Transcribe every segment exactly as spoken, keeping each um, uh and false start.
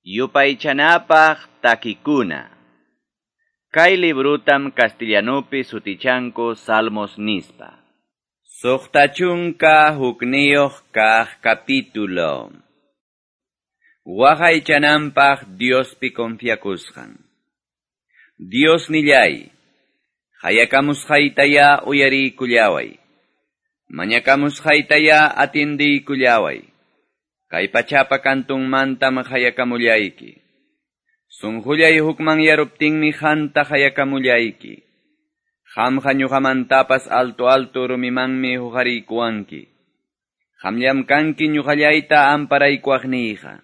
Yupaychanapaq takikuna. Kay librutam castellanupi sutichanku Salmos nispa. Suqta chunka hukniyuq kaq capítulo. Waqaychananpaq Diospi confiakusqan. Dios nillay, qayakamusqaytaya uyariykullaway. Mañakamusqaytaya atiendiykullaway. Kay pachapa kantunmantam qayakamullayki. Sunqullay hukmanyaruptinmi qamta qayakamullayki. Qamqa ñuqamantapas alto alto rumimanmi huqariykuwanki. Qamllam kanki ñuqallayta amparaykuwaqniyqa.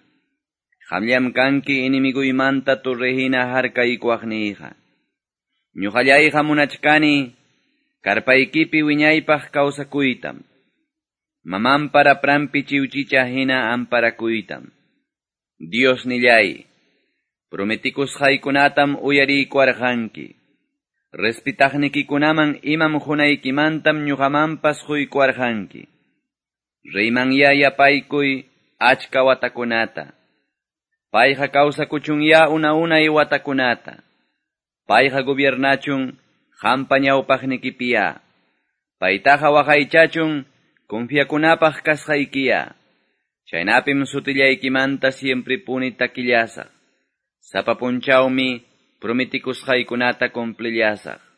Qamllam kanki enemigoymanta torrehina harkaykuwaqniyqa. Ñuqallayqa munachkani karpaykipi wiñaypaq kawsakuytam. Mamanpa rapranpi chiwchicha hina amparakuytam. Dios nillay, prometikusqaykunatam uyariykuwarqanki. Respetaqnikikunaman imam qunaykimantam ñuqamanpas quykuwarqanki. Reymanyá yapaykuy achka watakunata. Payqa kawsakuchunyá una unay watakunata. Payqa gobiernachun qampa ñawpaqnikipiya. Paytaqa waqaychachun confiakunapaq kasqaykiya. Chaynapim sutillaykimanta siempre puni takillasaq. Sapa punchawmi prometikusqaykunata cumplillasaq.